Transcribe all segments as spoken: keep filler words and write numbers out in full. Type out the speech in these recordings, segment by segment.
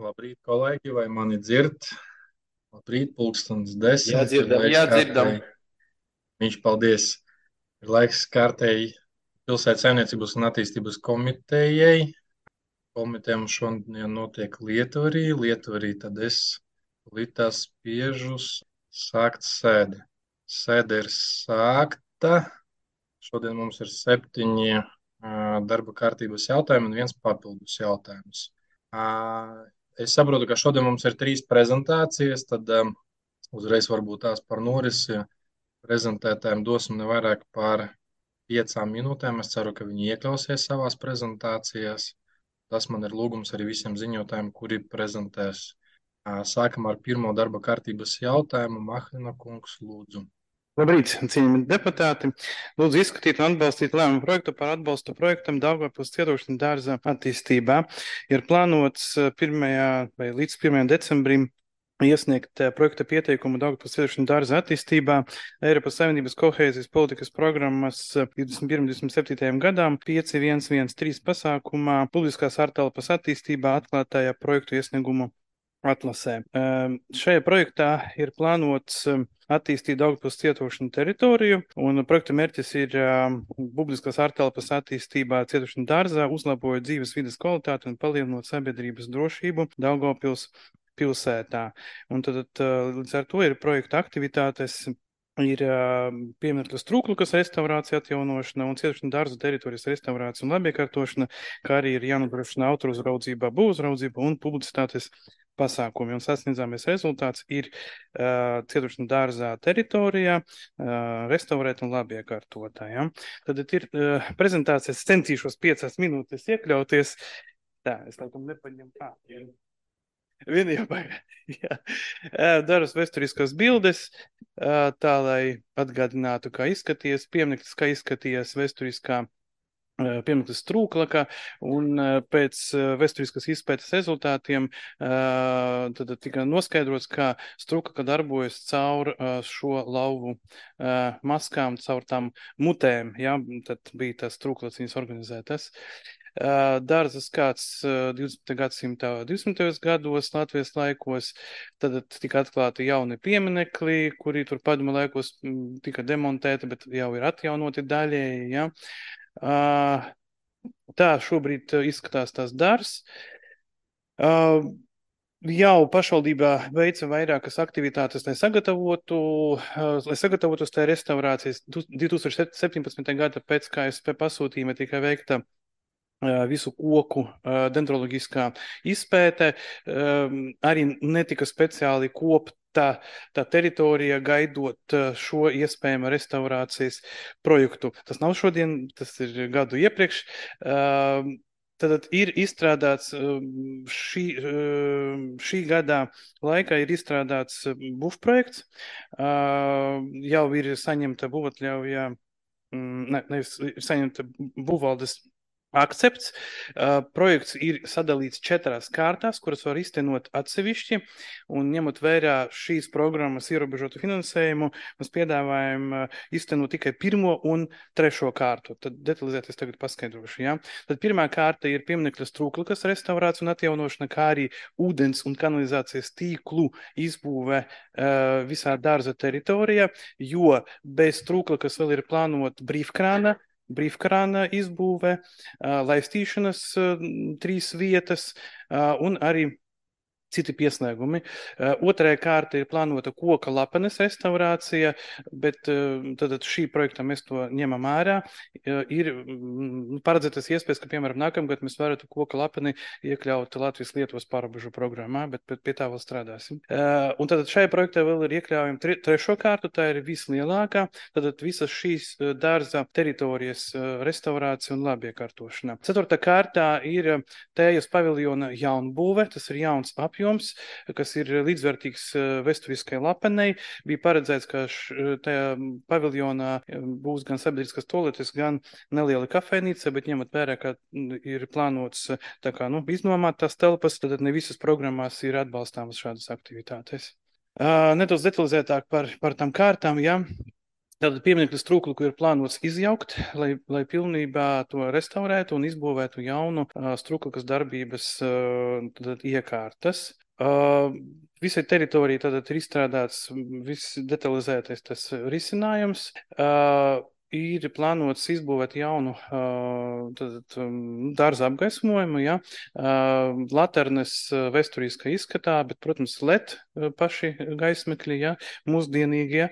Labrīt, kolēģi, vai mani dzird? Labrīt, pulkstens desmit, ir Jādzirdam, laiks jādzirdam. kārtēji. Viņš paldies. Ir laiks kārtēji pilsētas saimniecības un attīstības komitejai. Komitejam šodien notiek Lietvarī. Lietvarī tad es litā spiežus sākt sēdi. Sēde ir sākta. Šodien mums ir septiņi ā, darba kārtības jautājumi un viens papildus jautājums. Ā, Es saprotu, ka šodien mums ir trīs prezentācijas, tad um, uzreiz varbūt tās par norisi prezentētājiem dosim ne vairāk par piecām minūtēm. Es ceru, ka viņi iekļausies savās prezentācijās. Tas man ir lūgums arī visiem ziņotājiem, kuri prezentēs. Ā, Sākam ar pirmo darba kārtības jautājumu. Mahlina kungs, lūdzu. Labrīt, cienījami deputāti. Lūdzu izskatīt un atbalstīt lēmumu projektu par atbalstu projektam Daugavpils cietoksņu dārza attīstībā. Ir plānots pirmajā vai līdz pirmajam decembrim iesniegt projekta pieteikumu Daugavpils cietoksņu dārza attīstībā Eiropas Savienības kohēzijas politikas programmas divdesmit pirmajam divdesmit septītajam gadām pieci viens viens trīs pasākumā publiskās ārtelpas attīstībā atklātajā projektu iesniegumu atlasē. Um, šajā projektā ir plānots um, attīstīt Daugavpils cietoksņu teritoriju, un projekta mērķis ir um, publiskās ārtelpas attīstībā cietoksņu dārzā, uzlabojot dzīves vides kvalitāti un palielinot sabiedrības drošību Daugavpils pilsētā. Un tad, tad līdz ar to ir projekta aktivitātes. Ir uh, pieminekļa Strūklukas restaurācija, atjaunošana un cietoksņu dārza teritorijas restaurācija un labiekārtošana, kā arī ir jānodrošina autora uzraudzība, būvuzraudzība un publicitātes pasākumi. Un sasniedzāmies rezultāts ir uh, cietoksņu dārzā teritorijā uh, restaurēt un labiekārtotā. Ja? Tad ir uh, prezentācijas, centīšos piecās minūtes iekļauties. Tā, es laikam nepaņemu tā. Viena jau jā. Daras vēsturiskās bildes, tā lai atgādinātu, kā izskaties piemineklis, kā izskaties vēsturiskā piemineklis Strūklaka, un pēc vēsturiskas izpētes rezultātiem tad tika noskaidrots, kā Strūklaka darbojas caur šo lauvu maskām, caur tām mutēm, ja? Tad bija tās Strūklaciņas organizētas. Dārza skats divdesmitā gadsimta divdesmitajos gados, Latvijas laikos, tad tika atklāti jauni pieminekļi, kuri tur padomu laikos tika demontēti, bet jau ir atjaunoti daļēji. Ja? Tā šobrīd izskatās tās dārzs. Jau pašvaldībā veica vairākas aktivitātes, lai sagatavotu, lai sagatavotos tai restaurācijas. divi tūkstoši septiņpadsmitā gada pēc K S P pasūtījuma tika veikta visu koku dendroloģiskā izpēte, arī netika speciāli kopta tā teritorija gaidot šo iespējamo restaurācijas projektu. Tas nav šodien, tas ir gadu iepriekš. Tad ir izstrādāts šī, šī gadā laikā ir izstrādāts bufprojekts, jau ir saņemta būvatļauja, ne, nevis saņemta būvvaldes akcepts. Uh, projekts ir sadalīts četrās kārtās, kuras var iztenot atsevišķi, un ņemot vērā šīs programmas ierobežotu finansējumu, mēs piedāvājam uh, iztenot tikai pirmo un trešo kārtu. Tad detalizēti es tagad paskaidrošu. Ja? Tad pirmā kārta ir pieminekļa Strūklakas restaurācija un atjaunošana, kā arī ūdens un kanalizācijas tīklu izbūve uh, visā dārza teritorijā, jo bez Strūklakas vēl ir plānot brīvkrāna, brīvkrāna izbūve, laistīšanas trīs vietas un arī citi pieslēgumi. Otrajā kārta ir plānota koka lapenes restaurācija, bet tad šī projekta mēs to ņemam ārā. Ir paredzētas iespējas, ka, piemēram, nākamgad mēs varētu koka lapeni iekļaut Latvijas-Lietuvas pārobežu programmā, bet pie tā vēl strādāsim. Un tad šajā projektā vēl ir iekļaujama tre, trešo kārtu, tā ir vislielākā, tad visas šīs dārza teritorijas restaurācija un labiekārtošana. Ceturtā kārtā ir Tējas paviljona jaunbūve, tas ir jauns apjoms, Jums, kas ir līdzvērtīgs vēsturiskai lapenei. Bija paredzēts, ka tajā paviljonā būs gan sabiedriskas toaletes, gan neliela kafejnīca, bet ņemot vērā, ka ir plānots tā kā, nu, iznomāt tās telpas, tad ne visas programmās ir atbalstāmas šādas aktivitātes. Uh, nedaudz detalizētāk par, par tām kārtām, ja. Tātad pieminekļu strūklu ir plānots izjaukt, lai, lai pilnībā to restaurētu un izbūvētu jaunu uh, strūklas darbības uh, tātad, iekārtas. Uh, visai teritorijai tātad ir izstrādāts viss detalizētais tas risinājums. Uh, Ir plānots izbūvēt jaunu uh, tātad, um, dārza apgaismojumu, ja? uh, laternes uh, vēsturiskā izskatā, bet, protams, L E D uh, paši gaismekļi, ja? Mūsdienīgie.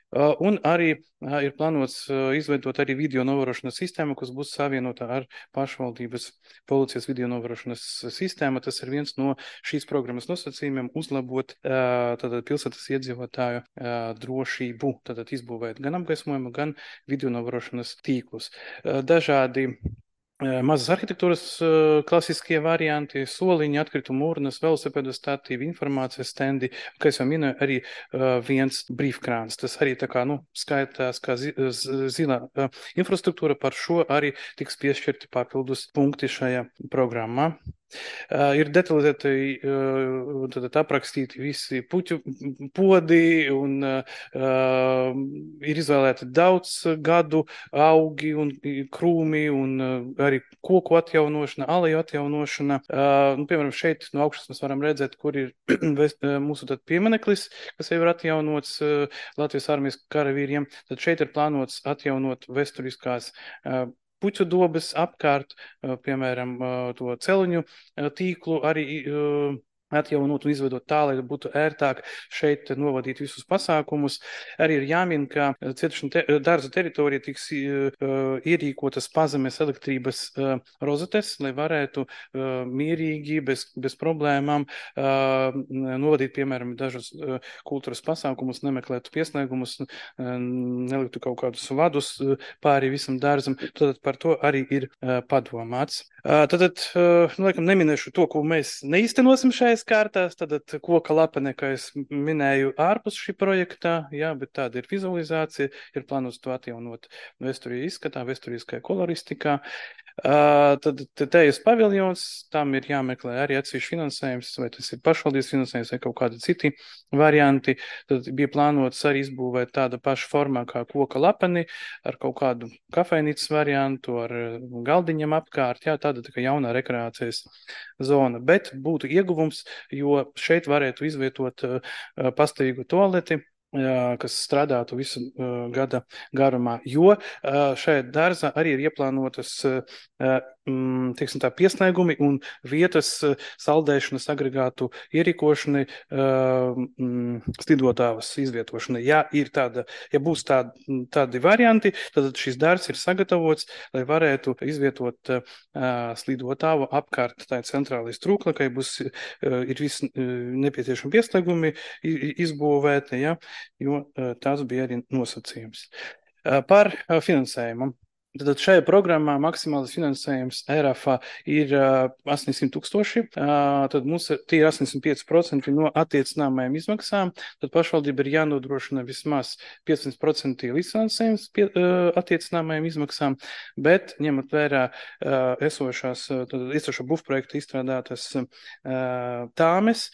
Uh, un arī uh, ir plānots uh, izveidot arī video novērošanas sistēmu, kas būs savienota ar pašvaldības policijas video novērošanas sistēmu. Tas ir viens no šīs programmas nosacījumiem uzlabot uh, tātad pilsētas iedzīvotāju uh, drošību, tātad izbūvēt gan apgaismojumu, gan video novērošanas tīklus. Uh, dažādi mazas arhitektūras klasiskie varianti, soliņi, atkritumu urnas, velosipēdu statīvi, informācijas stendi, kā es jau minēju, arī viens brīvkrāns. Tas arī tā kā, nu, skaitās kā zi, zilā infrastruktūra, par šo arī tiks piešķirti papildus punkti šajā programmā. Uh, ir detalizēti uh, aprakstīti visi puķu podi un uh, ir izvēlēti daudz gadu augi un krūmi un uh, arī koku atjaunošana, aleju atjaunošana. Uh, nu, piemēram, šeit no augšas mēs varam redzēt, kur ir mūsu tad piemineklis, kas jau ir atjaunots uh, Latvijas armijas karavīriem. Tad šeit ir plānots atjaunot vēsturiskās uh, puķu dobes apkārt, piemēram, to celiņu tīklu arī atjaunot un izveidot tā, lai būtu ērtāk šeit novadīt visus pasākumus. Arī ir jāmin, ka cietušana te, dārza teritorija tiks uh, ierīkotas pazemes elektrības uh, rozetes, lai varētu uh, mierīgi, bez, bez problēmām uh, novadīt, piemēram, dažus uh, kultūras pasākumus, nemeklētu pieslēgumus, uh, neliktu kaut kādus vadus uh, pāri visam dārzam. Tad par to arī ir uh, padomāts. Uh, tad, uh, nu, laikam, neminēšu to, ko mēs neīstenosim šajās kārtās, tad koka lapene, kā es minēju, ārpus šī projektā, jā, bet tāda ir vizualizācija, ir plānots to atjaunot vēsturī izskatā, vēsturiskajā koloristikā. Uh, tad tejas paviljons, tam ir jāmeklē arī atsevišķi finansējums, vai tas ir pašvaldības finansējums vai kaut kādi citi varianti. Tad bija plānots arī izbūvēt tāda paša formā kā koka lapeni ar kaut kādu kafejnīcas variantu, ar galdiņiem apkārt, jā, tāda tā kā jaunā rekreācijas zona. Bet būtu ieguvums, jo šeit varētu izvietot uh, pastāvīgu toaleti, kas strādātu visu uh, gada garumā, jo uh, šajā dārzā arī ir ieplānotas uh, um, teiksim tā, pieslēgumi un vietas uh, saldēšanas agregātu ierīkošanai, uh, um, slidotājus izvietošanai. Ja ir tāda, ja būs tādi, tādi varianti, tad šis dārzs ir sagatavots, lai varētu izvietot uh, slidotāju apkārt tā centrālajai strūklakai, būs uh, ir visi uh, nepieciešami pieslēgumi izbūvēti, ja, jo tās bija arī nosacījums. Par finansējumu. Tad šajā programmā maksimālais finansējums E R A F ir astoņsimt tūkstoši, tad mums tie ir astoņdesmit pieci procenti no attiecināmajām izmaksām, tad pašvaldība ir jānodrošina vismaz piecdesmit procenti līdzfinansējums pie, attiecināmajām izmaksām, bet ņemot vērā esošās, tad esošo būvprojektu izstrādātas tāmes,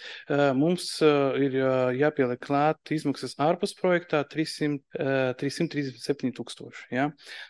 mums ir jāpieliek klāt izmaksas ārpus projektā trīssimt trīsdesmit septiņi tūkstoši. Ja?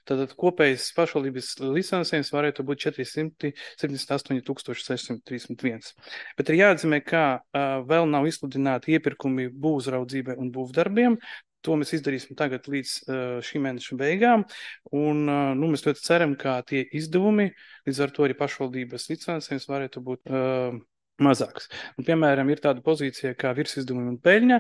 Tad kopējais pašvaldības licencējums varētu būt četri simti septiņdesmit astoņi tūkstoši sešsimt trīsdesmit viens. Bet ir jāatzīmē, ka uh, vēl nav izsludināti iepirkumi būvuzraudzībai un būvdarbiem. To mēs izdarīsim tagad līdz uh, šī mēneša beigām. Un uh, nu, mēs ļoti ceram, ka tie izdevumi, līdz ar to arī pašvaldības licencējums varētu būt uh, mazāks. Un, piemēram, ir tāda pozīcija kā virsizdevumi un peļņa,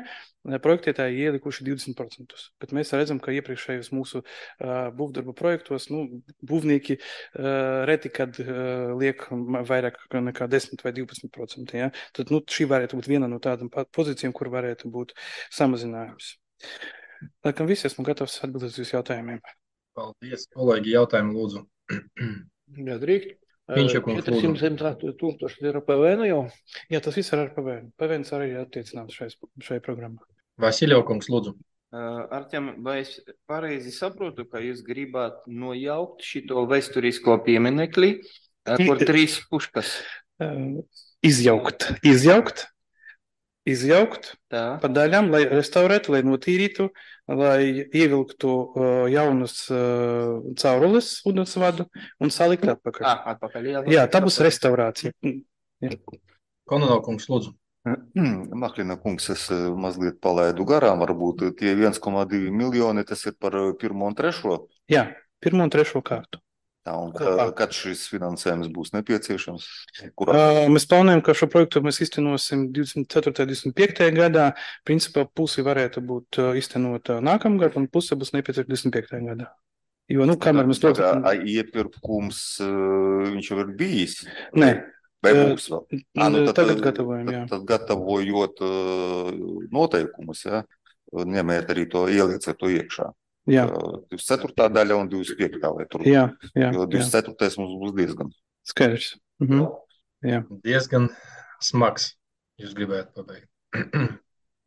projektētāji ielikuši divdesmit procentus. Bet mēs redzam, ka iepriekšējos mūsu uh, būvdarbu projektos, nu, būvnieki uh, reti, kad uh, liek vairāk nekā desmit vai divpadsmit procenti. Ja? Tad, nu, šī varētu būt viena no tādām pozīcijām, kur varētu būt samazinājums. Laikam visi esmu gatavs atbildēt uz jūsu jautājumiem. Paldies, kolēģi, jautājumu lūdzu. Jā, drīkst. četri simti tūkstoši ir ar P V N jau? Jā, tas viss ir ar P V N. P V N arī ir attiecināts šai, šai programmā. Vasiļovkungs, lūdzu. Artjam, vai es pareizi saprotu, ka jūs gribāt nojaukt šito vēsturisko pieminekli, kur trīs puškas? Izjaukt. Izjaukt. izjaukt Tā. pa daļām, lai restaurētu, lai notīrītu, lai ievilktu uh, jaunas uh, caurules ūdensvadu un salikt atpakaļ. Ah, atpakaļ. Jā, Jā, tā būs restaurācija. Kononov kungs, lūdzu. Maklina kungs, es eh, mazliet palaidu garām, varbūt tie viens komā divi miljoni, tas ir par eh, pirmo un trešo. Jā, pirmo un trešo kārtu. Tā, un Kopā. ka, kad šis finansējums būs nepieciešams? Kurā? Uh, mēs plānojam, ka šo projektu mēs iztenosim divdesmit ceturtajā, divdesmit piektajā gadā. Principā pusi varētu būt uh, iztenota nākamgad, un puse būs nepieciešama divdesmit piektajā gadā. Jo, nu, kamēr mēs to... Pagā, a iepirkums eh, viņš jau ir bijis? Nē. Vai Eh, būs vēl? Ā, nu, tad, Tagad gatavojam, jā. tad, tad gatavojot eh, noteikumus, ja, ņemiet arī to, ielieciet to iekšā. Jā, Eh, divdesmit ceturtā daļa un divdesmit piektā vai tur. jā, jā, Jo jā. divdesmit ceturtais mums būs diezgan. Skaidrs. Mhm. Jā. Diezgan smags. Jūs gribētu pabeigt.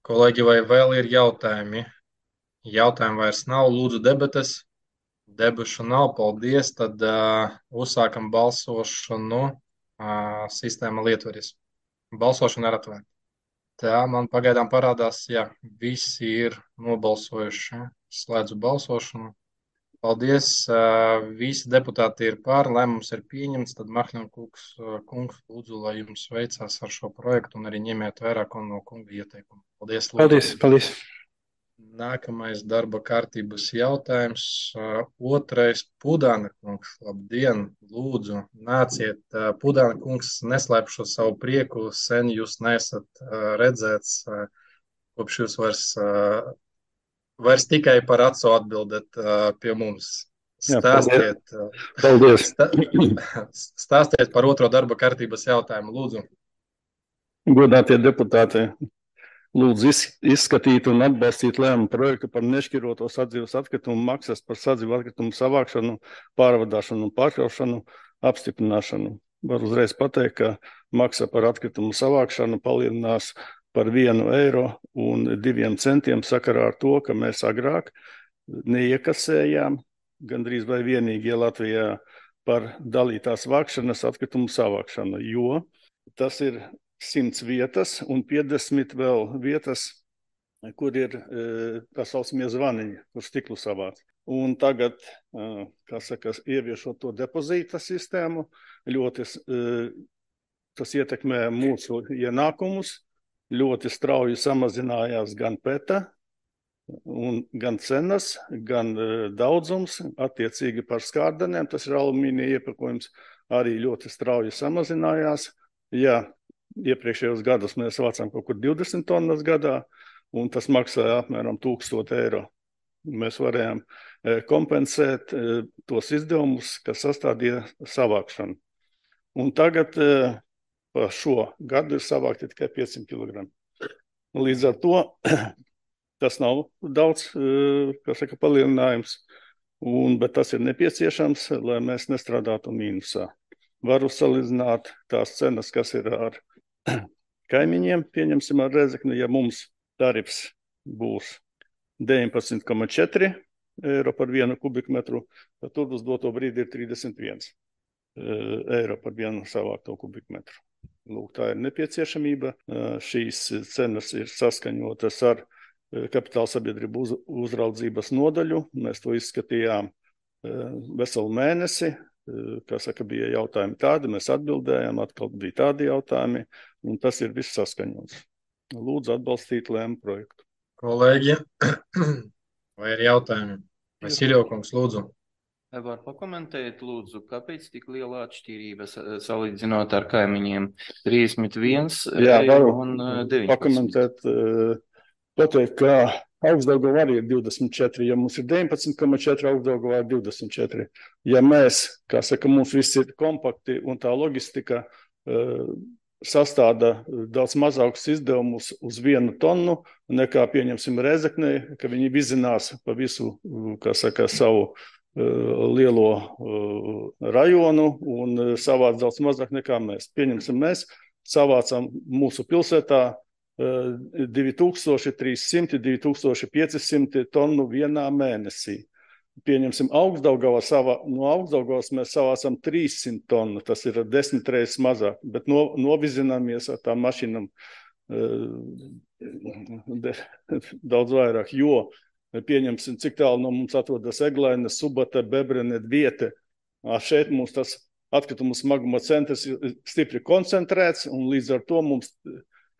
Kolēģi, vai vēl ir jautājumi? Jautājumu vairs nav. Lūdzu, debates. Debašu nav. Paldies. Tad uh, uzsākam balsošanu. Uh, sistēma lietvaris. Balsošana ir atvērta. Tā man pagaidām parādās, ja visi ir nobalsojuši. Slēdzu balsošanu. Paldies. uh, Visi deputāti ir pār. Lēmums ir pieņemts. Tad Mahļina kungs, uh, kungs, lūdzu, lai jums veicās ar šo projektu un arī ņemiet vērā no kunga ieteikumu. Paldies. lūdzu. Paldies, paldies. Nākamais darba kārtības jautājums. uh, Otrais Pudāna kungs. Labdien, lūdzu, nāciet. Uh, Pudāna kungs neslēp šo savu prieku. Sen jūs neesat uh, redzēts, uh, kopš jūs vairs, uh, vairs tikai par acu atbildat uh, pie mums. Jā, Stāstiet, uh, Paldies. sta- stāstiet par otro darba kārtības jautājumu, lūdzu. Godātie deputāti, lūdzu iz- izskatīt un atbalstīt lēmumu projektu par nešķiroto sadzīves atkritumu maksas par sadzīvu atkritumu savākšanu, pārvadāšanu un pārkraušanu apstiprināšanu. Var uzreiz pateikt, ka maksa par atkritumu savākšanu palielinās par vienu eiro un diviem centiem sakarā ar to, ka mēs agrāk neiekasējām gandrīz vai vienīgi Latvijā par dalītās vākšanas atkritumu savākšanu, jo tas ir simts vietas un piecdesmit vēl vietas, kur ir e, tā saucamie zvaniņi, kur stiklu savāc. Un tagad, e, kā saka, ieviešot to depozīta sistēmu, ļoti e, tas ietekmē mūsu ienākumus, ļoti strauji samazinājās gan peta, un gan cenas, gan e, daudzums, attiecīgi par skārdanēm, tas ir alumīnija iepakojums, arī ļoti strauji samazinājās. Jā, iepriekšējos gados mēs vācām kaut kur divdesmit tonnas gadā, un tas maksāja apmēram tūkstoši eiro. Mēs varējām e, kompensēt e, tos izdevumus, kas sastādīja savākšanu. Un tagad e, pa šo gadu ir savākti tikai piecsimt kilogramu. Līdz ar to tas nav daudz, e, kā saka, palielinājums, un, bet tas ir nepieciešams, lai mēs nestrādātu mīnusā. Varu salīdzināt tās cenas, kas ir ar kaimiņiem, pieņemsim ar Rēzekni, ja mums tarifs būs deviņpadsmit komā četri eiro par vienu kubikmetru, tad tur uz doto brīdi ir trīsdesmit viens eiro par vienu savākto kubikmetru. Lūk, tā ir nepieciešamība. Šīs cenas ir saskaņotas ar kapitāla sabiedrību uz, uzraudzības nodaļu. Mēs to izskatījām veselu mēnesi. Kā saka, bija jautājumi tādi, mēs atbildējām, atkal bija tādi jautājumi, un tas ir viss saskaņots. Lūdzu atbalstīt lēmu projektu. Kolēģi, vai ir jautājumi? Vai Sirjokungs, lūdzu? Var pakomentēt, lūdzu, kāpēc tik liela atšķirība sa- salīdzinot ar kaimiņiem? trīsdesmit viens Jā, eiro varu un eh, deviņpadsmit. pakomentēt, eh, pateikt, ka Augstdaugavā arī ir divdesmit četri, ja mums ir deviņpadsmit komā četri, Augstdaugavā ir divdesmit četri. Ja mēs, kā saka, mums viss ir kompakti un tā logistika uh, sastāda daudz mazākus izdevumus uz vienu tonu, nekā pieņemsim Rēzeknē, ka viņi vizinās pa visu, kā saka, savu uh, lielo uh, rajonu un uh, savāc daudz mazāk nekā mēs. Pieņemsim mēs, savācam mūsu pilsētā divi tūkstoši trīs simti, divi tūkstoši pieci simti tonu vienā mēnesī. Pieņemsim Augstdaugavā, savā, no Augstdaugavas mēs savācam trīssimt tonu, tas ir desmit reizes mazāk, bet no, novizināmies ar tām mašīnām daudz vairāk, jo pieņemsim, cik tālu no mums atrodas Eglaine, Subata, Bebrene, Viete. Šeit mums tas atkritumu smaguma centrs ir stipri koncentrēts, un līdz ar to mums,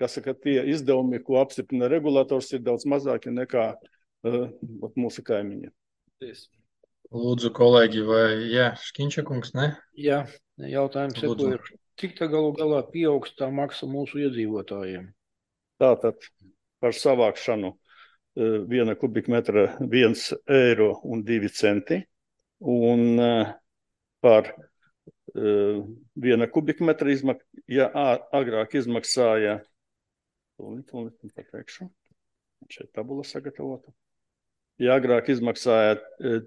kas saka, tie izdevumi, ko apstiprina regulators, ir daudz mazāki nekā uh, mūsu kaimiņi. Lūdzu, kolēģi, vai jā, Škiņša kungs, ne? Jā, jautājums Lūdzu. ir, cik tā galu galā pieaugs tā maksa mūsu iedzīvotājiem? Tātad par savākšanu uh, viena kubikmetra viens eiro un divi centi, un uh, par uh, viena kubikmetra izmak, ja agrāk izmaksāja, tūlīt, tūlīt, pateikšu, šeit tabula sagatavota, ja agrāk izmaksāja uh,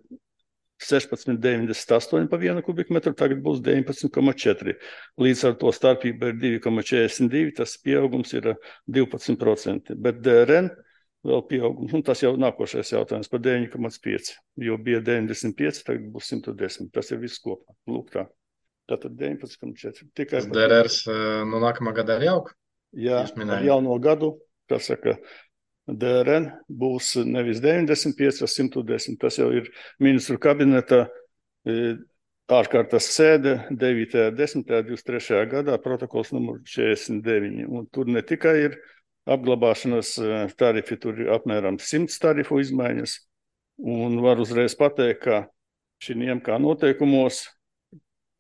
sešpadsmit deviņdesmit astoņi pa vienu kubikmetru, tagad būs deviņpadsmit komats četri. Līdz ar to starpība ir divi komats četrdesmit divi, tas pieaugums ir divpadsmit procenti, bet D R N vēl pieaugums, un tas jau nākošais jautājums par deviņi komats pieci, jo bija deviņdesmit pieci, tagad būs simt desmit, tas ir viss kopā, lūk tā. Tātad deviņpadsmit komats četri. Tikai D R R no nākamā gada arī aug? Jā, ar jauno gadu, kas saka, D R N būs nevis deviņdesmit pieci, bet simt desmit. Tas jau ir ministru kabineta ārkārtas sēde devītajā desmitajā divdesmit trešajā gadā, protokols numur četrdesmit deviņi. Un tur ne tikai ir apglabāšanas tarifi, tur ir apmēram simts tarifu izmaiņas. Un var uzreiz pateikt, ka šiem kā noteikumos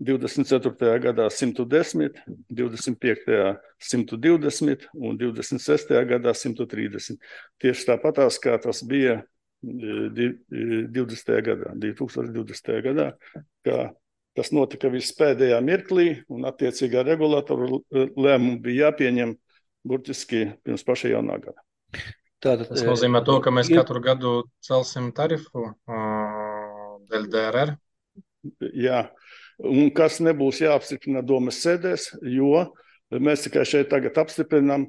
divdesmit ceturtajā gadā simt desmit, divdesmit piektajā simt divdesmit un divdesmit sestajā gadā simt trīsdesmit. Tieši tāpatās, kā tas bija divdesmitajā gadā, divi tūkstoši divdesmitajā gadā, kā tas notika viss pēdējā mirklī, un attiecīgā regulatora lēmumi bija jāpieņem burtiski pirms paša jaunā gada. Tātad, Tas nozīmē to, ka mēs katru gadu celsim tarifu uh, dēļ D R R? Jā. Un kas nebūs jāapstiprina domas sēdēs, jo mēs tikai šeit tagad apstiprinām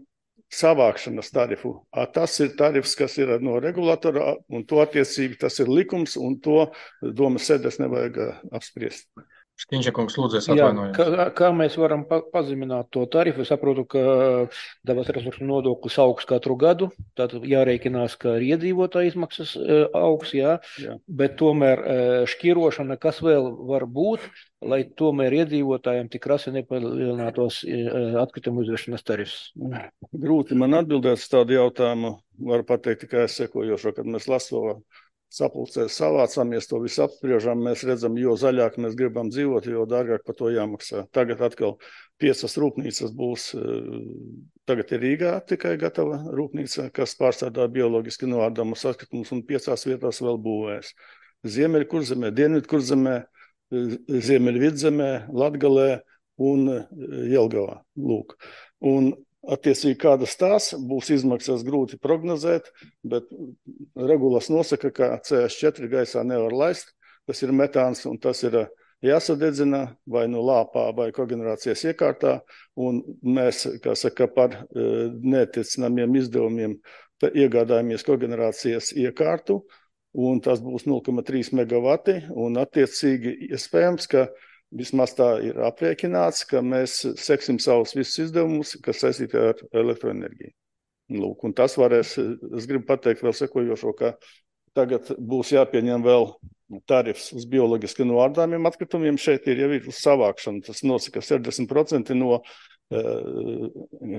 savākšanas tarifu. Tas ir tarifs, kas ir no regulatora, un to attiecīgi tas ir likums, un to domas sēdēs nevajag apspriest. Škiņša kungs, lūdzu, es Jā, atvainojos. kā, kā mēs varam pa, pazemināt to tarifu? Es saprotu, ka dabas resursu nodoklis augs katru gadu, tātad jārēķinās, ka arī iedzīvotāju izmaksas uh, augs, jā, Jā. Bet tomēr uh, šķirošana, kas vēl var būt, lai tomēr iedzīvotājiem tik rasi nepalielinātos uh, atkritumu izvešanas tarifs? Grūti man atbildēt uz tādu jautājumu, varu pateikt tikai sekojošo, kad mēs Lasovā sapulcēs savācāmies, to visu apspriežam, mēs redzam, jo zaļāk mēs gribam dzīvot, jo dārgāk par to jāmaksā. Tagad atkal piecas rūpnīcas būs, tagad ir Rīgā tikai gatava rūpnīca, kas pārstrādā bioloģiski noārdamus atkritumus, un piecās vietās vēl būvēs. Ziemeļkurzemē, Dienvidkurzemē, Ziemeļvidzemē, Latgalē un Jelgavā. Lūk. Un attiecīgi, kādas tās būs izmaksas grūti prognozēt, bet regulas nosaka, ka C S četri gaisā nevar laist, tas ir metāns un tas ir jāsadedzina vai nu lāpā vai kogenerācijas iekārtā, un mēs, kā saka, par neatiecinājumiem izdevumiem iegādājamies kogenerācijas iekārtu, un tas būs nulle komats trīs megavati, un attiecīgi iespējams, ka vismaz tā ir aprēķināts, ka mēs seksim savus visus izdevumus, kas saistīti ar elektroenerģiju. Lūk, un tas varēs, es gribu pateikt vēl sekojošo, ka tagad būs jāpieņem vēl tarifs uz bioloģiski noārdāmiem atkritumiem. Šeit ir jau ir uz savākšanu, tas nosaka sešdesmit procenti no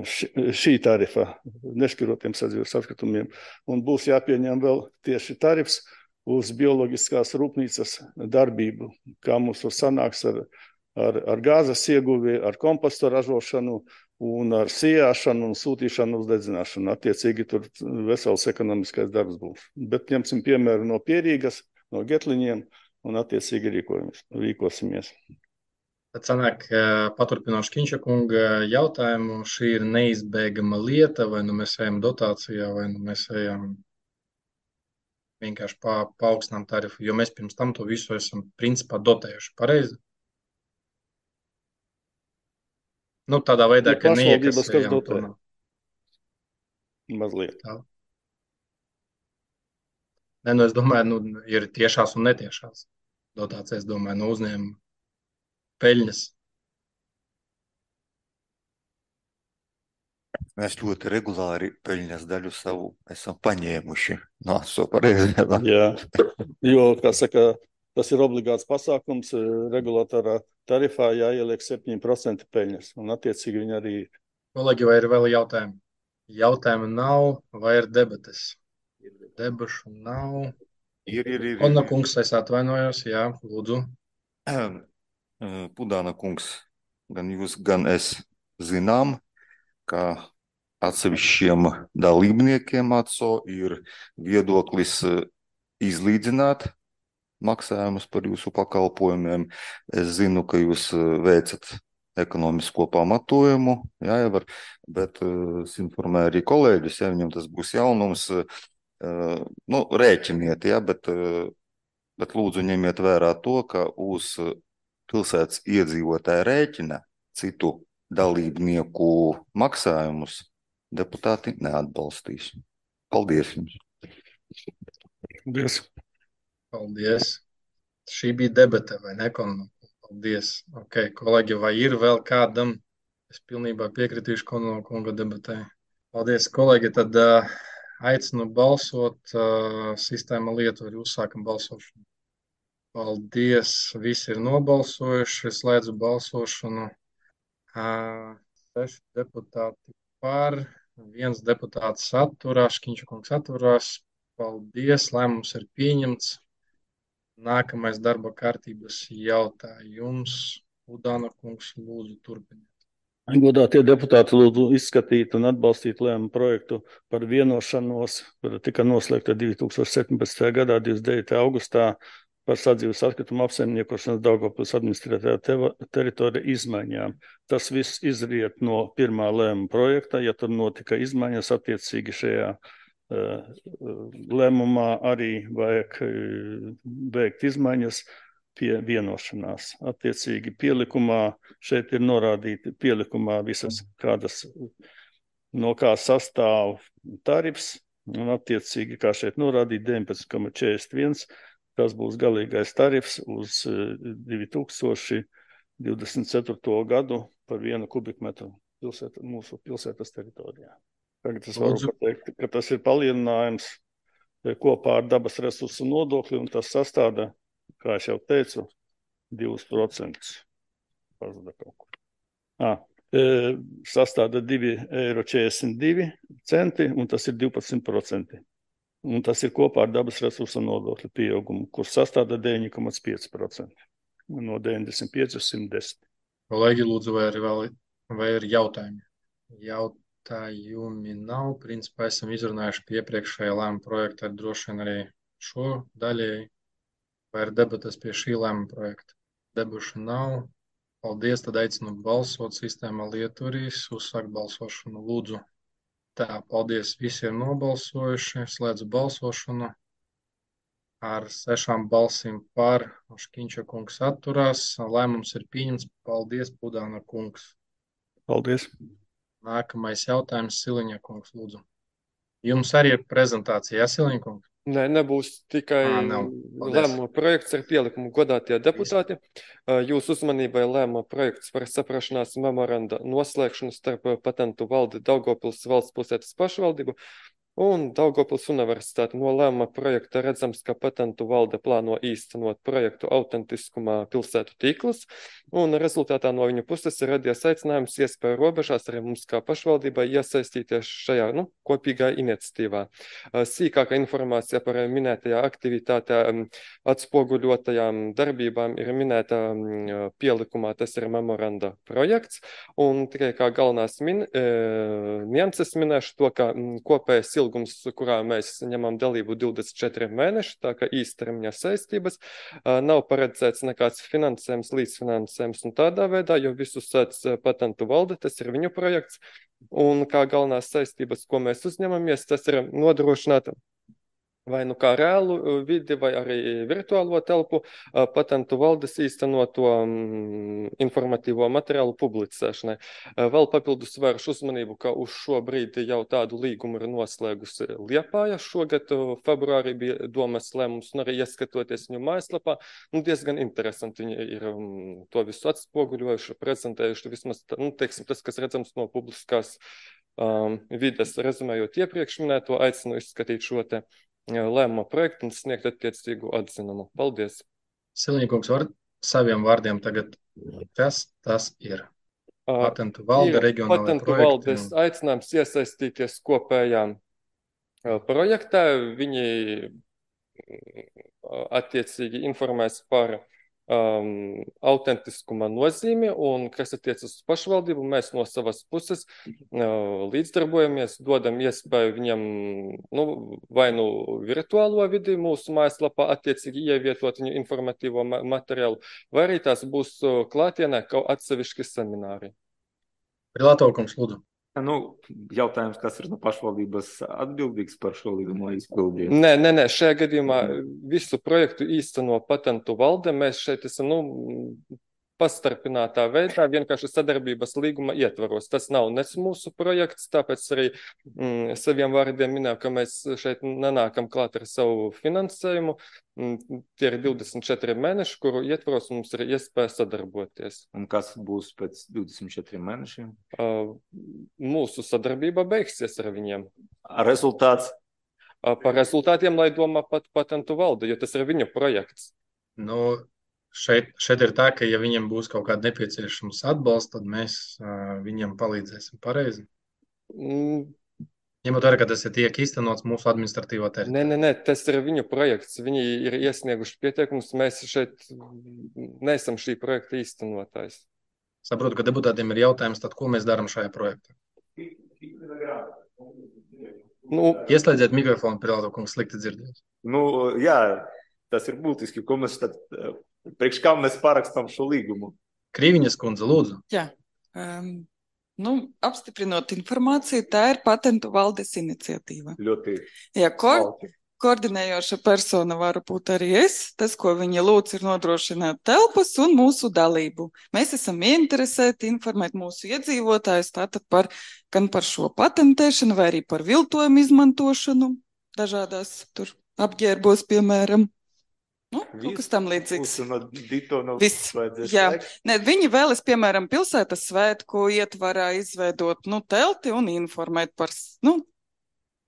šī tarifa nešķirotiem sadzīves atkritumiem. Un būs jāpieņem vēl tieši tarifs uz bioloģiskās rūpnīcas darbību, kā mums tur sanāks ar, ar, ar gāzes ieguvi, ar kompostu ražošanu un ar sijāšanu un sūtīšanu uz dedzināšanu. Attiecīgi tur vesels ekonomiskais darbs būs. Bet ņemsim piemēru no Pierīgas, no Getliņiem un attiecīgi rīkosimies. Tad sanāk, paturpinot Škiņša kunga jautājumu, šī ir neizbēgama lieta, vai nu mēs ejam dotācijā, vai nu mēs ejam vienkārši pa, paaugstinām tarifu, jo mēs pirms tam to visu esam principā dotējuši. Pareizi? Nu, tādā veidā, ka neiekasējām to. Mazliet. Tā. Ne, nu, es domāju, nu, ir tiešās un netiešās dotācijas, domāju, no uzņēmuma peļņas. Mēs ļoti regulāri peļņas daļu savu esam paņēmuši no sopareizēm. Jā, jo, kā saka, tas ir obligāts pasākums, regulatorā tarifā jāieliek septiņi procenti peļņas, un attiecīgi viņi arī. Kolēģi, vai ir vēl jautājumi? Jautājumu nav, vai ir debates? Debašu nav. Ir, ir, ir. Konna kungs, es atvainojos, jā, lūdzu. Pudāna kungs, gan jūs, gan es zinām, ka atsevišķiem dalībniekiem A C O ir viedoklis izlīdzināt maksājumus par jūsu pakalpojumiem. Es zinu, ka jūs veicat ekonomisko pamatojumu, jāievar, bet es informēju arī kolēģus, ja viņam tas būs jaunums, nu, rēķiniet, ja, bet, bet lūdzu ņemiet vērā to, ka uz pilsētas iedzīvotāja rēķina citu dalībnieku maksājumus deputāti neatbalstīs. Paldies jums! Paldies! Paldies! Šī bija debata, vai ne, Konno? Paldies! Ok, kolēģi, vai ir vēl kādam? Es pilnībā piekritīšu Konno kunga debatai. Paldies, kolēģi! Tad uh, aicinu balsot. Uh, sistēma Lietuva, uzsākam balsošanu. Paldies! Visi ir nobalsojuši. Es slēdzu balsošanu. Uh, seši deputāti par, viens deputāts atturās, Škiņša kungs atturās. Paldies, lēmums ir pieņemts. Nākamais darba kārtības jautājums. Udāna kungs, lūdzu, turpiniet. Godātie deputāti, lūdzu izskatīt un atbalstīt lēmumu projektu par vienošanos, kura tika noslēgta divi tūkstoši septiņpadsmitajā gadā, divdesmit devītajā augustā, par sadzīves atkritumu apsaimniekošanas Daugavpils administrētajā te teritorija izmaiņām. Tas viss izriet no pirmā lēmuma projekta. Ja tur notika izmaiņas, attiecīgi šajā uh, lēmumā arī vajag uh, veikt izmaiņas pie vienošanās. Attiecīgi pielikumā šeit ir norādīti pielikumā visas kādas, no kā sastāv tarifs, un attiecīgi, kā šeit norādīt, deviņpadsmit komats četrdesmit viens. Tas būs galīgais tarifs uz divi tūkstoši divdesmit ceturto gadu par vienu kubikmetru pilsēta, mūsu pilsētas teritorijā. Tagad es varu pateikt, ka tas ir palielinājums kopā ar dabas resursu nodokli, un tas sastāda, kā es jau teicu, divus procentus. Ah, e, sastāda divi eiro četrdesmit divi centi, un tas ir divpadsmit procenti. Un tas ir kopā ar dabas resursu nodokļu pieaugumu, kurš sastāda deviņi komats pieci procenti no deviņdesmit pieci uz simt desmit. Kolēģi, lūdzu, vai ir, vēl, vai ir jautājumi? Jautājumi nav. Principā esam izrunājuši pie iepriekšējā lēmuma projekta, ar droši vien arī šo daļēji. Vai ir debatas pie šī lēmuma projekta? Debušu nav. Paldies, tad aicinu balsot. Sistēmā Lietuvīs uzsākt balsošanu. Lūdzu. Tā, paldies, visi ir nobalsojuši, slēdzu balsošanu. Ar sešām balsīm par, Škiņša kungs atturās. Lēmums ir pieņemts. Paldies, Pudāna kungs. Paldies. Nākamais jautājums, Siliņa kungs, lūdzu. Jums arī ir prezentācija, jā, Siliņa kungs? Nē, nebūs tikai lēmuma projekts ar pielikumu. Godātie deputāti, jūsu uzmanībai lēmuma projekts par saprašanās memoranda noslēgšanu starp Patentu valdi Daugavpils valsts pilsētas pašvaldību un Daugavpils universitāti. No lēmuma projekta redzams, ka Patentu valde plāno īstenot projektu autentiskumā pilsētu tīklus, un rezultātā no viņu puses ir radies aicinājums iespēju robežās arī mums kā pašvaldībai iesaistīties šajā, nu, kopīgā iniciatīvā. Sīkāka informācija par minētajā aktivitātē atspoguļotajām darbībām ir minēta pielikumā, tas ir memoranda projekts, un tikai kā galvenās min, e, nianses minēšu to, ka kopējais ilgums, kurā mēs ņemam dalību divdesmit četri mēneši, tā kā īstermiņa saistības, nav paredzēts nekāds finansējums, līdzfinansējums un tādā veidā, jo visu sēdz Patentu valde, tas ir viņu projekts, un kā galvenās saistības, ko mēs uzņemamies, tas ir nodrošināt vai nu kā reālu vidi, vai arī virtuālo telpu, Patentu valdes īstenoto informatīvo materiālu publicēšanai. Vēl papildus vēršu uzmanību, ka uz šo brīdi jau tādu līgumu ir noslēgusi Liepāja. Šogad februārī bija domas lēmums, un arī ieskatoties viņu mājaslapā, nu, diezgan interesanti viņi ir to visu atspoguļojuši, prezentējuši, vismaz, nu, teiksim, tas, kas redzams no publiskās um, vides, rezumējot iepriekš minēto, aicinu izskatīt šo te lēmumu projektu un sniegt attiecīgu atzinumu. Paldies! Siliņkungs, var saviem vārdiem tagad, kas tas ir? Patentu valde, Ir reģionālajie patentu projekti. valdes Un... aicinājums iesaistīties kopējā projektā. Viņi attiecīgi informēs par um, autentiskuma nozīmi, un kas attiecas uz pašvaldību, mēs no savas puses uh, līdzdarbojamies, dodam iespēju viņam nu, vai nu virtuālo vidi mūsu mājaslapā attiecīgi ievietot viņu informatīvo ma materiālu, vai arī tās būs uh, klātienē kaut atsevišķi semināri. Prilātovkums, lūdzu. Nu, jautājums, kas ir no pašvaldības atbildīgs par šo līgumu izpildīt? Nē, nē, nē, šajā gadījumā visu projektu īsteno patentu valde. Mēs šeit esam, nu, pastarpinātā veidā, vienkārši sadarbības līguma ietvaros. Tas nav nec mūsu projekts, tāpēc arī mm, saviem vārdiem minēju, ka mēs šeit nenākam klāt ar savu finansējumu. Mm, tie ir divdesmit četri mēneši, kuru ietvaros mums ir iespēja sadarboties. Un kas būs pēc divdesmit četriem mēnešiem? Uh, mūsu sadarbība beigsies ar viņiem. Rezultāts? Uh, par rezultātiem, lai domā pat patentu valde, jo tas ir viņu projekts. Nu, Šeit, šeit ir tā, ka ja viņiem būs kaut kāda nepieciešams atbalsts, tad mēs uh, viņiem palīdzēsim pareizi. Mm. Ņemot vērā, ka tas ir tiek īstenots mūsu administratīvā teritorijā. Nē, nē, nē, tas ir viņu projekts. Viņi ir iesnieguši pieteikumus. Mēs šeit neesam šī projekta īstenotājs. Saprotu, ka deputātiem ir jautājums, tad ko mēs darām šajā projektā? Nu, Ieslēdziet mikrofonu, Prilātovkungs, slikti dzirdēt. Nu, jā, tas ir būtiski, ko mēs tad... Priekš kā mēs parakstām šo līgumu? Krīviņas kundze, lūdzu. Jā, um, nu, apstiprinot informāciju, tā ir patentu valdes iniciatīva. Ļoti Jā, ko, koordinējoša persona var būt arī es. Tas, ko viņa lūdz, ir nodrošināt telpas un mūsu dalību. Mēs esam ieinteresēti informēt mūsu iedzīvotājus tātad par, gan par šo patentēšanu, vai arī par viltojumu izmantošanu dažādās tur apģērbos, piemēram. Nu, kaut kas tam līdzīgs. Viss, jā. Ne, viņi vēlas, piemēram, pilsētas svētku ietvarā izveidot nu, telti un informēt par, nu,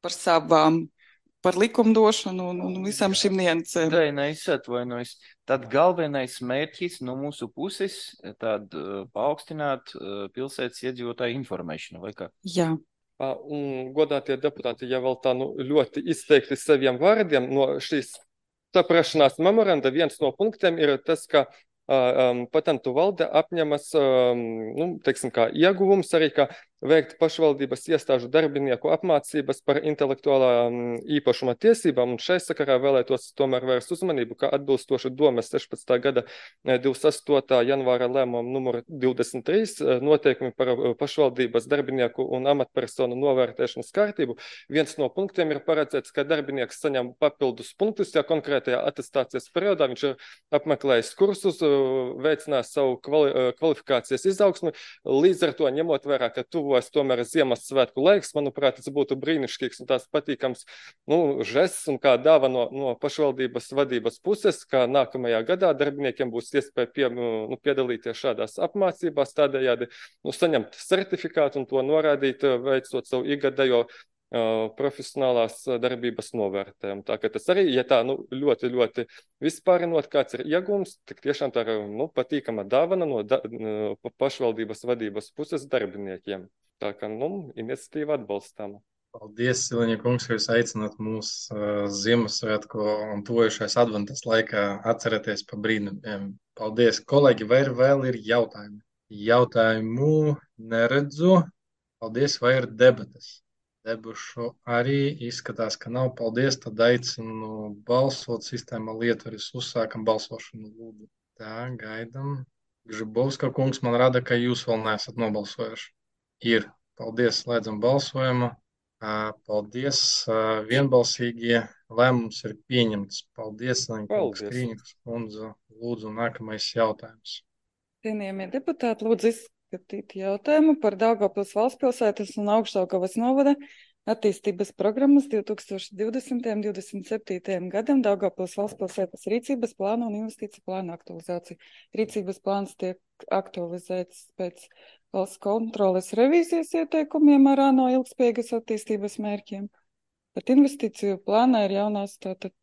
par savām, par likumdošanu un, un visām šīm niansēm. Daina, es atvainojos. Tad galvenais mērķis no mūsu puses tad uh, paaugstināt uh, pilsētas iedzīvotāju informēšanu, vai kā? Jā. Un godātie deputāti, ja vēl tā nu, ļoti izteikti saviem vārdiem no šīs saprašanās memoranda, viens no punktiem ir tas, ka um, patentu valde apņemas, um, nu, teiksim, kā ieguvums arī, ka veikt pašvaldības iestāžu darbinieku apmācības par intelektuālā um, īpašuma tiesībām, un šai sakarā vēlētos tomēr vērst uzmanību, ka atbilstoši Domes sešpadsmitā gada divdesmit astotā janvāra lēmumam numur divdesmit trīs noteikumi par pašvaldības darbinieku un amatpersonu novērtēšanas kārtību. Viens no punktiem ir paredzēts, ka darbinieks saņem papildus punktus, ja konkrētajā atestācijas periodā viņš ir apmeklējis kursus, veicinās savu kvali kvalifikācijas izaugsmi, līdz ar to ņemot vērā, ka tuvo tomēr Ziemassvētku laiks, manuprāt, tas būtu brīnišķīgs un tās patīkams nu, žests un kā dāva no, no pašvaldības vadības puses, ka nākamajā gadā darbiniekiem būs iespēja pie, nu, piedalīties šādās apmācībās, tādējādi nu, saņemt certifikātu un to norādīt, veicot savu igadējo uh, profesionālās darbības novērtējumu. Tā ka tas arī, ja tā nu, ļoti, ļoti vispārinot, kāds ir iegums, tik tiešām tā ir nu, patīkama dāvana no da, pašvaldības vadības puses darbiniekiem. Tā kā, nu, iniciatīva atbalstāma. Paldies, Siliņa kungs, ka jūs aicināt mūs uh, Ziemassvētku un tojušais adventas laikā atcerēties pa brīnumiem. Paldies, kolēģi, vai vēl ir jautājumi? Jautājumu neredzu. Paldies, vai ir debatas? Debušu arī izskatās, ka nav. Paldies, tad aicinu balsot sistēmā Lietvaris. Uzsākam balsošanu, lūdzu. Tā, gaidam. Gžibovska kungs man rada, ka jūs vēl neesat nobalsojuši. Ir. Paldies, slēdzam balsojumu. Paldies, vienbalsīgie lēmums ir pieņemts. Paldies, Laņkungs, Krīņuks kundze. Lūdzu, nākamais jautājums. Cienījamie deputāti, lūdzu izskatīt jautājumu par Daugavpils valstspilsētas un Augšdaugavas novada attīstības programmas divi tūkstoši divdesmitajam līdz divdesmit septītajam gadam Daugavpils valstspilsētas rīcības plānu un investīciju plānu aktualizāciju. Rīcības plāns tiek aktualizēts pēc valsts kontroles revīzijas ieteikumiem ar ANO ilgspējīgas attīstības mērķiem. Bet investīciju plānā ir jaunās, tātad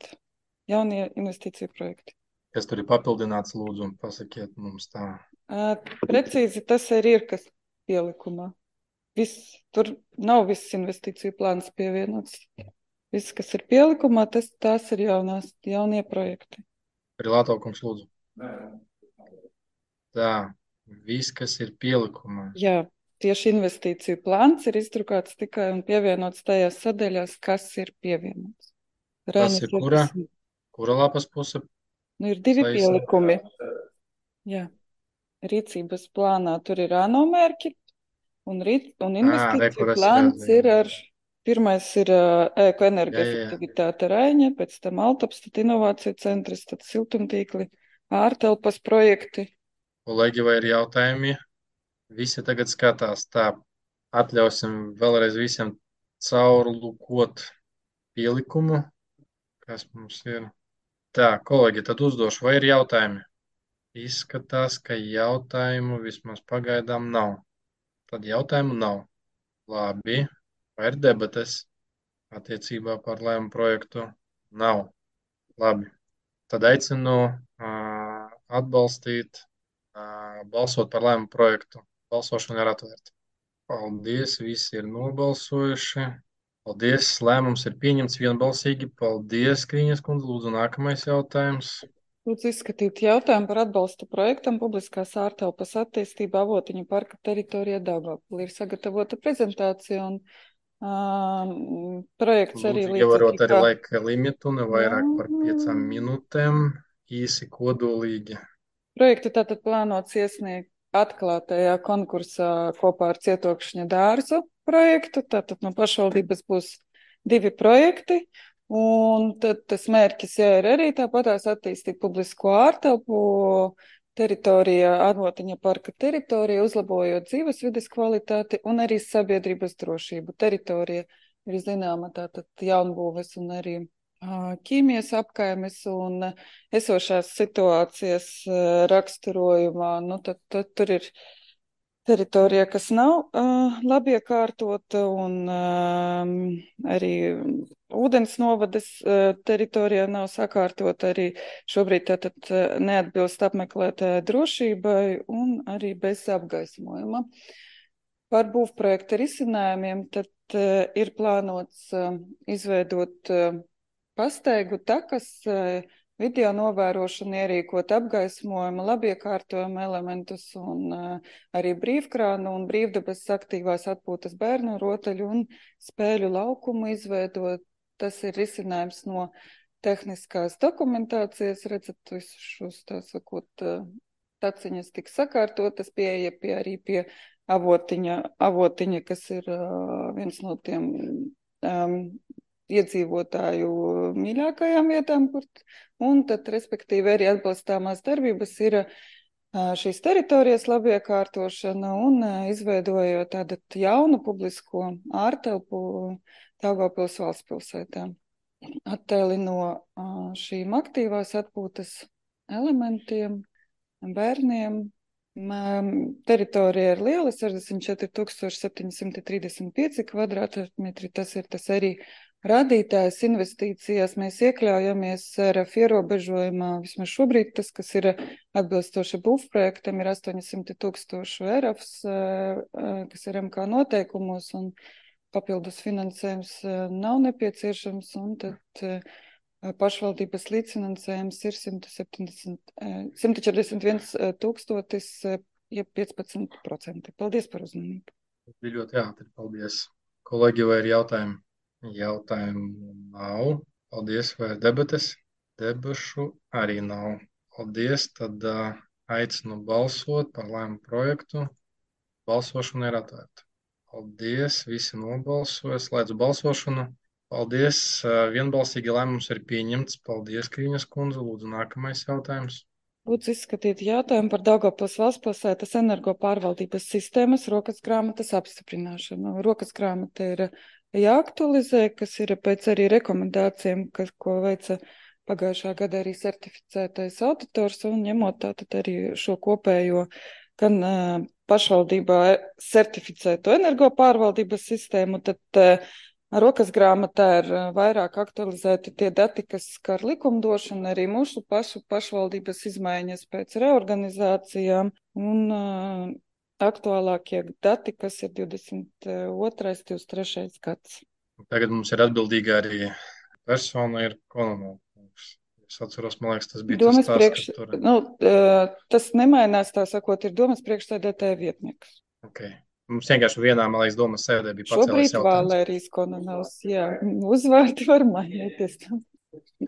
jaunie investīciju projekti. Kas tur ir papildināts, lūdzu, un pasakiet mums tā. Uh, precīzi tas arī ir, kas pielikumā. Viss, tur nav viss investīciju plāns pievienots. Viss, kas ir pielikumā, tas, tās ir jaunās, jaunie projekti. Prilātokums, lūdzu. Tā, viss, kas ir pielikumā. Jā, tieši investīciju plāns ir izdrukāts tikai un pievienots tajās sadaļās, kas ir pievienots. Tas ir kura? Kura lapas puse? Nu, ir divi Saisa. pielikumi. Jā. Rīcības plānā tur ir ANO mērķi, un, rīc, un investīciju à, plāns ir ar, pirmais ir uh, ekoenergoefektivitāte Raiņa, pēc tam Altaps, tad inovāciju centrs, tad siltumtīkli, ārtelpas projekti. Kolēģi, vai ir jautājumi? Visi tagad skatās tā. Atļausim vēlreiz visiem caurlūkot pielikumu, kas mums ir. Tā, kolēģi, tad uzdošu, vai ir jautājumi? Izskatās, ka jautājumu vismaz pagaidām nav. Tad jautājumu nav. Labi. Vai ir debates attiecībā par lēmumu projektu? Nav. Labi. Tad aicinu uh, atbalstīt, uh, balsot par lēmumu projektu. Balsošana ir atvērta. Paldies, visi ir nobalsojuši. Paldies, lēmums ir pieņemts vienbalsīgi. Paldies, Krīņas kundze. Lūdzu, nākamais jautājums. Lūdzu izskatīt jautājumu par atbalstu projektam publiskās ārtelpas attīstība Avotiņu parka teritorijā Daugavpilī. Ir sagatavota prezentācija un um, projekts arī līdzīgi. Lūdzu, ievarot arī laika limitu, ne vairāk par piecām minūtēm, īsi kodolīgi. Projektu tātad plānots iesniegt atklātajā konkursā kopā ar Cietokšņa dārzu projektu. Tātad no pašvaldības būs divi projekti. Un tad tas mērķis jā, ir arī tāpatās attīstīt publisko ārtelpu teritorijā, Avotiņa parka teritorija, uzlabojot dzīves vides kvalitāti un arī sabiedrības drošību. Teritorija ir zināma tātad jaunbūves un arī uh, ķīmijas apkaimes un esošās situācijas uh, raksturojumā. Nu, tad, tad tur ir teritorija, kas nav uh, labi iekārtota un uh, arī ūdens novades uh, teritorijā nav sakārtota, arī šobrīd tātad uh, neatbilst apmeklētāja drošībai un arī bez apgaismojuma. Par būvprojekta risinājumiem tad uh, ir plānots uh, izveidot uh, pastaigu takas, uh, video novērošanu, ierīkot apgaismojumu, labiekārtojumu elementus un uh, arī brīvkrānu un brīvdabas aktīvās atpūtas bērnu rotaļu un spēļu laukumu izveidot. Tas ir risinājums no tehniskās dokumentācijas. Redzat, visus šos, tā sakot, uh, taciņas tiks sakārtotas, pieeja pie arī pie avotiņa, avotiņa kas ir uh, viens no tiem um, iedzīvotāju mīļākajām vietām, kur, un tad, respektīvi, arī atbalstāmās darbības ir šīs teritorijas labiekārtošana un izveidojot tādu jaunu publisko ārtelpu Daugavpils valsts pilsētā. Attēli no šīm aktīvās atpūtas elementiem, bērniem. Teritorija ir liela, sešdesmit četri tūkstoši septiņi simti trīsdesmit pieci kvadrātmetri. Tas ir tas arī rādītājs investīcijās. Mēs iekļaujamies ar ierobežojumā, vismaz šobrīd tas, kas ir atbilstoši būvprojektam, ir astoņsimt tūkstoši eirafs, kas ir M K noteikumos, un papildus finansējums nav nepieciešams, un tad pašvaldības līdzfinansējums ir simt četrdesmit viens tūkstotis, ja piecpadsmit procenti. Paldies par uzmanību. Bija ļoti ātri, paldies. Kolēģi, vai ir jautājumi? Jautājumu nav. Paldies, vai ir debates? Debašu arī nav. Paldies, tad uh, aicinu balsot par lēmumu projektu. Balsošana ir atvērta. Paldies, visi nobalsoja, slēdzu balsošanu. Paldies, vienbalsīgi lēmums ir pieņemts. Paldies, Krīņas kundze. Lūdzu, nākamais jautājums. Lūdzu izskatīt jautājumu par Daugavpils valsts pilsētas energo pārvaldības sistēmas rokas grāmatas apstiprināšanu. Rokas grāmata ir jāaktualizē, kas ir pēc arī rekomendācijām, kas, ko veica pagājušā gada arī certificētais auditors, un ņemot tātad arī šo kopējo gan uh, pašvaldībā certificēto energopārvaldības sistēmu, tad uh, rokas grāmatā ir uh, vairāk aktualizēti tie dati, kas skar likumdošanu, arī mūsu pašu pašvaldības izmaiņas pēc reorganizācijām un uh, aktuālākie dati, kas ir divdesmit otrais, divdesmit trešais gads. Tagad mums ir atbildīga arī persona, ir Kononova. Es atceros, man liekas, tas bija domas tas tās, priekš, kas tur... Nu, tas nemainās, tā sakot, ir domas priekšsēdētāja vietnieks. Okay. Mums vienkārši vienā, man liekas, domas sēdē bija pacēlējis Šobrīd jautājums. Valērijas Kononovs, jā, uzvārdi var mainīties.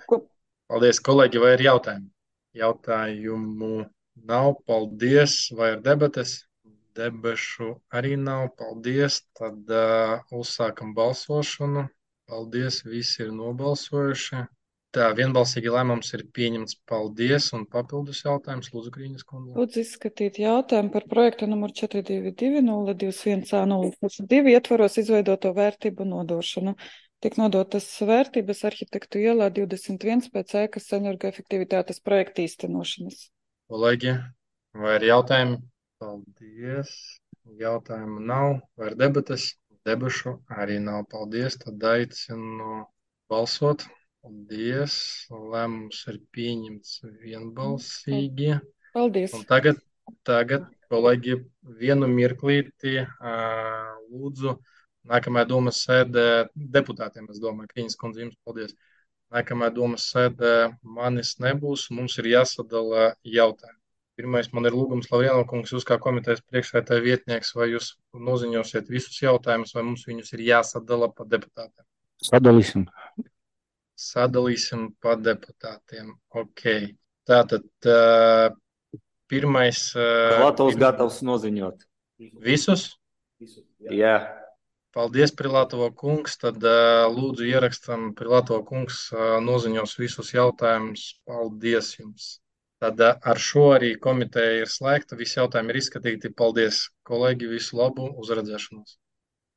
Ko? Paldies, kolēģi, vai ir jautājumi? Jautājumu nav, paldies, vai ir debates? Debešu arī nav, paldies. Tad uh, uzsākam balsošanu. Paldies, visi ir nobalsojuši. Tā, vienbalsīgi lēmums ir pieņemts. Paldies, un papildus jautājums, Lūdzu, Grīņas kundze. Lūdzu izskatīt jautājumu par projektu numuru četri divi divi nulle divs viens A nulle divi ietvaros izveidoto vērtību nodošanu. Tiek nodotas vērtības arhitektu ielā divdesmit viens pēc ēkas energoefektivitātes projekta īstenošanas. Kolēģi, vai ir jautājumi? Paldies. Jautājumu nav. Vai ir debates? Debašu arī nav. Paldies. Tad aicinu balsot. Paldies. Lēmums ir pieņemts vienbalsīgi. Paldies. Un tagad, tagad, kolēģi, vienu mirklīti lūdzu. Nākamajā domas sēdē deputātiem, es domāju, Krīņas kundze, jums paldies. Nākamajā domas sēdē manis nebūs, mums ir jāsadala jautājumi. Pirmais man ir lūgums, Lavrieno kungs, jūs kā komitejas priekšsēdētāja vietnieks, vai jūs noziņosiet visus jautājumus, vai mums viņus ir jāsadala pa deputātiem? Sadalīsim. Sadalīsim pa deputātiem. Ok. Tātad uh, pirmais... Uh, Latvijas gatavs noziņot. Visus? Jā. Paldies, Prilatovo kungs. Tad uh, lūdzu ierakstam, Prilatovo kungs uh, noziņos visus jautājumus. Paldies jums. Tad uh, ar šo arī komiteja ir slēgta. Visi jautājumi ir izskatīti. Paldies, kolēģi. Visu labu. Uz redzēšanos.